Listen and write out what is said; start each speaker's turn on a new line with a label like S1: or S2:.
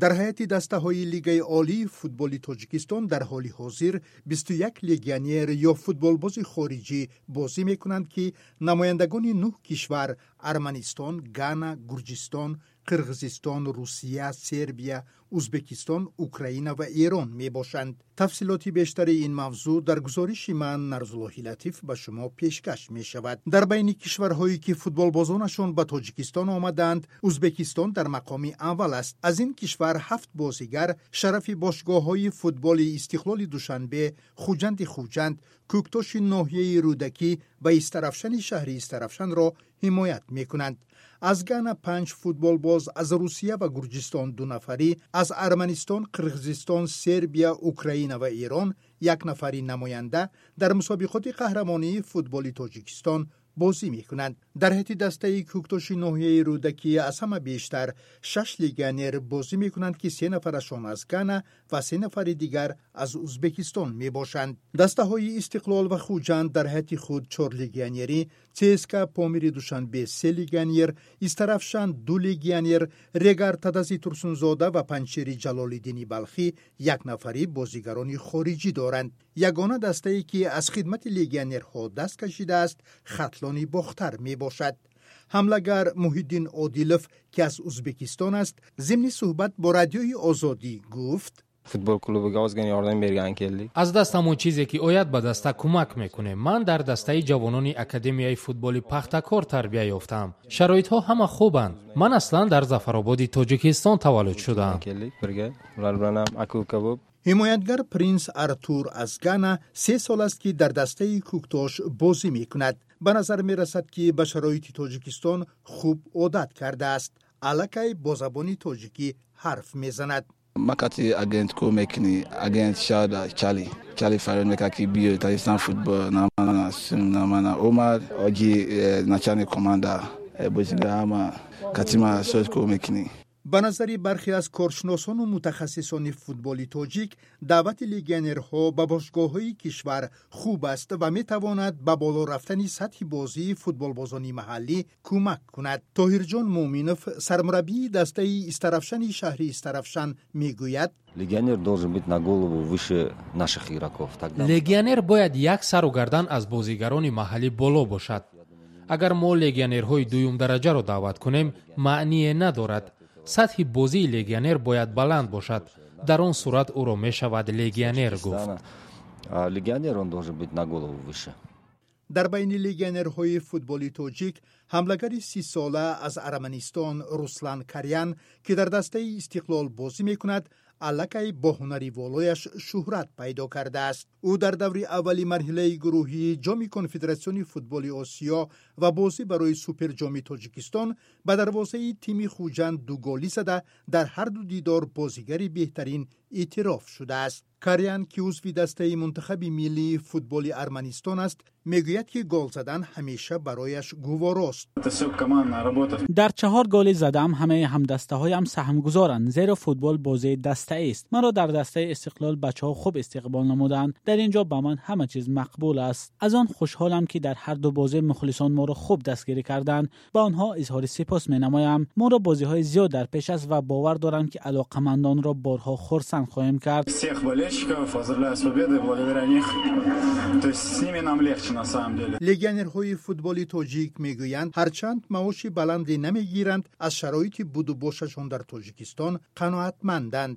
S1: Дар ҳайати дастаҳои Лигаи олии футболи Тоҷикистон дар ҳоли ҳозир 21 легионер ё футболбози хориҷӣ бозӣ мекунанд, ки намояндагони нӯҳ кишвар: Арманистон, Гана, Гурҷистон, Қирғизистон, Русия, Сербия, Узбекистон, Украина ва Эрон мебошанд. Тафсилоти бештари ин мавзӯъ дар гузориши ман, Нарзуллоҳи Латиф, ба шумо пешкаш мешавад. Дар байни кишварҳое, ки футболбозонашон ба Тоҷикистон омадаанд, Узбекистон дар мақоми аввал аст. Аз ин кишвар ҳафт бозигар шарафи бошгоҳҳои футболи Истиқлоли Душанбе, Хуҷанди Хуҷанд, Кӯктоши ноҳияи Рӯдакӣ ва Истарафшани шаҳри Истарафшанро ҳимоят мекунанд. Аз Гана панҷ футболбоз, аз Русия ва Гурҷистон дунафарӣ, аз Арманистон, Қирғизистон, Сербия, Украина ва Эрон як нафари намоянда дар мусобиқоти қаҳрамонии футболи Тоҷикистон бозӣ мекунанд. Дар ҳайати дастаи Кӯктоши ноҳияи Рӯдакӣ аз ҳама бештар шаш легионер бозӣ мекунанд, ки се нафарашон аз Гана ва се нафари дигар аз Узбекистон мебошанд. Дастаҳои Истиқлол ва Хуҷанд дар ҳайати худ чор легионерӣ, ЦСКА Помири Душанбе се легионер, Истарафшан ду легионер, Регар Тадази Турсунзода ва Панҷшери Ҷалолиддини Балхӣ як нафарӣ бозигарони хориҷӣ доранд. Ягона дастае, ки аз хидмати легионерҳо даст кашидааст, Хатлони Бохтар мебошад. Ҳамлагар Муҳиддин Одилов, ки аз Узбекистон аст, зимни суҳбат бо Радиои Озодӣ гуфт:
S2: Futbol klubiga ozgina yordam bergani keldik.
S3: Аз дастам он чизе ки ояд, ба даста кӯмак мекунем. Ман дар дастаи ҷавонони академияи футболи Пахтакор тарбия ёфтаам. Шароитҳо ҳама хубанд. Ман аслан дар Зафарободи Тоҷикистон таваллуд шудаам.
S2: Keldik birga. Ular bilan ham aka uka bo'lib.
S1: Ҳимоятгар Принс Артур аз Гана 3 сол аст, ки дар дастаи Кӯктош бозӣ мекунад. Ба назар мерасад, ки ба шароити Тоҷикистон хуб одат кардааст. Аллакай бо забони тоҷикӣ ҳарф мезанад.
S4: Макати агент ко мекни агент шада чали чали фарёд мекард, ки биё Таҷикистан футбол намана намана омад оги э, начальник команда э, бозига ҳама катима соз ко мекунӣ.
S1: Ба назари бархе аз коршиносону мутахассисони футболи тоҷик, даъвати легионерҳо ба бошгоҳҳои кишвар хуб аст ва метавонад ба боло рафтани сатҳи бозии футболбозони маҳаллӣ кӯмак кунад. Тоҳирҷон Муъминов, сармураббии дастаи Истарафшани шаҳри Истарафшан, мегӯяд:
S5: Легионер должен быть на голову выше наших игроков. Тогда
S3: Легионер бояд як сару гардан аз бозигарони маҳаллӣ боло бошад. Агар мо легионерҳои дуюмдараҷаро даъват кунем, маъние надорад. Сатҳи бозии легионер бояд баланд бошад. Дар он сурат ӯро мешавад легионер гуфт.
S5: Легионер, он должен быть на голову выше.
S1: Дар байни легионерҳои футболи тоҷик ҳамлагари 30-сола аз Арманистон Руслан Карян, ки дар дастаи Истиқлол бозӣ мекунад, аллакай бо ҳунари волояш шӯҳрат пайдо кардааст. Ӯ дар даври аввали марҳилаи гурӯҳии Ҷоми Конфедератсиони футболи Осиё ва бозӣ барои Суперҷоми Тоҷикистон ба дарвозаи тими Хуҷанд ду голӣ зада, дар ҳарду дидор бозигари беҳтарин эътироф шудааст. Карян, ки узви дастаи мунтахаби миллии футболи Арманистон аст, мегӯяд, ки гол задан ҳамеша барояш гуворост.
S6: Дар чаҳор голи задаам ҳамаи ҳамдастаҳоям саҳмгузоранд, зеро футбол бозии даста аст. Маро дар дастаи Истиқлол бачаҳо хуб истиқбол намуданд. Дар ин ҷо ба ман ҳама чиз мақбул аст. Аз он хушҳолам, ки дар ҳар ду бозӣ мухлисон моро хуб дастгирӣ карданд. Ба онҳо изҳори сипос менамоям. Моро бозиҳои зиёд дар пеш аст ва бовар дорам, ки алоқамандонро борҳо хурсанд хоҳем кард.
S7: Всех болельщиков поздравляю с победой, благодаря них, то есть с ними нам легче на самом деле.
S1: Легионерҳои футболи тоҷик мегӯянд, ҳарчанд маоши баланде намегиранд, аз шароити будубошашон дар Тоҷикистон қаноатманданд.